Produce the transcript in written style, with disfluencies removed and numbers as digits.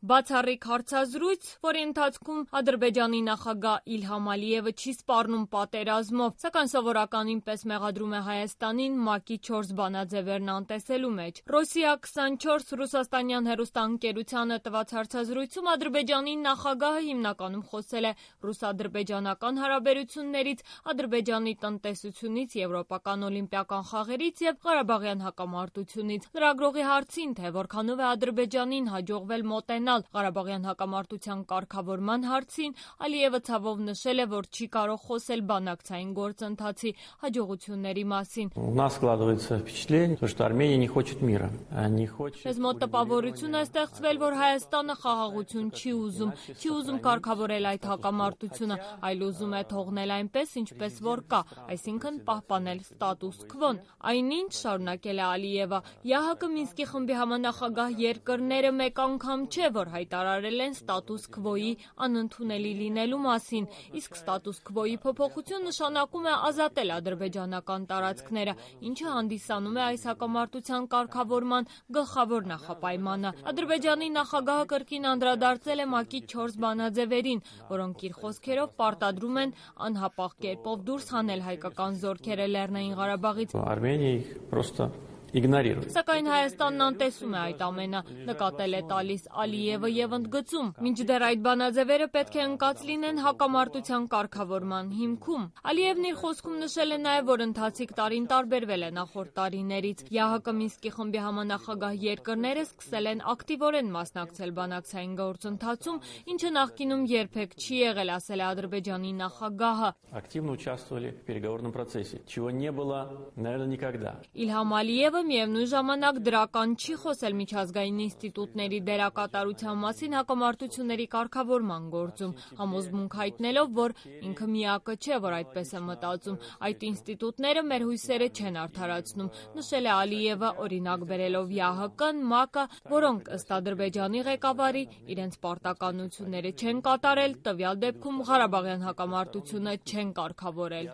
Բացառիկ հարցազրույց, որի ընթացքում Ադրբեջանի նախագահ Իլհամ Ալիևը չի սպառնում պատերազմով, սակայն սովորականին պես մեղադրում է Հայաստանին ՄԱԿ-ի 4 բանաձևերն անտեսելու մեջ։ Ռոսիա 24 ռուսաստանյան հեռուստաընկերությանը տված հարցազրույցում Ադրբեջանի նախագահը հիմնականում խոսել է ռուս-ադրբեջանական հարաբերություններից, Ադրբեջանի տնտեսությունից, եվրոպական օլիմպիական խաղերից և Ղարաբաղյան հակամարտությունից։ Լրագրողի հարցին, թե որքանով է Ադրբեջանին հաջողվել մոտենալ Ղարաբաղյան հակամարտության կարգավորման հարցին, Ալիևը ցավով նշել է, որ չի կարող խոսել բանակցային գործընթացի հաջողությունների մասին։ Մեզ մոտ տպավորություն է ստեղծվել, որ Հայաստանը խաղաղություն չի ուզում կարգավորել այդ հակամարտությունը, այլ ուզում է թողնել այնպես, ինչպես որ կա, այսինքն պահպանել ստատուս քվոն։ Այնինչ, շարունակել է Ալիևը, ԵԱՀԿ Մինսկի խմբի համանախագահ երկրները մեկ անգամ չէ, որ հայտարարել են ստատուս քվոյի անընդունելի լինելու մասին, իսկ ստատուս քվոյի փոփոխություն նշանակում է ազատել ադրբեջանական տարածքները, ինչը հանդիսանում է այս հակամարտության կարգավորման գլխավոր նախապայմանը։ Ադրբեջանի նախագահը կրկին անդրադարձել է ՄԱԿ-ի 4 բանաձևերին, որոնք իր խոսքերով պարտադրում են անհապաղ կերպով դուրս հանել հայկական զորքերը Լեռնային Ղարաբաղից։ Սակայն Հայաստանն անտեսում է այդ ամենը, նկատել է տալիս Ալիևը և ընդգծում, մինչդեռ այդ բանաձևերը պետք է ընկած լինեն հակամարտության կարգավորման հիմքում։ Ալիևն իր խոսքում նշել է նաև, որ ընթացիկ տարին տարբերվել է նախորդ տարիներից։ ԵԱՀԿ Մինսկի խմբի համանախագահ երկրները սկսել են ակտիվորեն մասնակցել բանակցային գործընթացում, ինչը նախկինում երբեք չի եղել, ասել է Ադրբեջանի նախագահը։ Իլհամ Ալիևը միևնույն ժամանակ դրական չի խոսել միջազգային ինստիտուտների դերակատարության մասին հակամարտությունների կարգավորման գործում, համոզմունք հայտնելով, որ ինքը միակը չէ, որ այդպես է մտածում, այդ ինստիտուտները մեր հույսերը չեն արդարացնում, նշել է Ալիևը, օրինակ բերելով ԵԱՀԿ-ն, ՄԱԿ-ը, որոնք ըստ Ադրբեջանի ղեկավարի իրենց պարտականությունները չեն կատարել, տվյալ դեպքում Ղարաբաղյան հակամարտությունը չեն կարգավորել։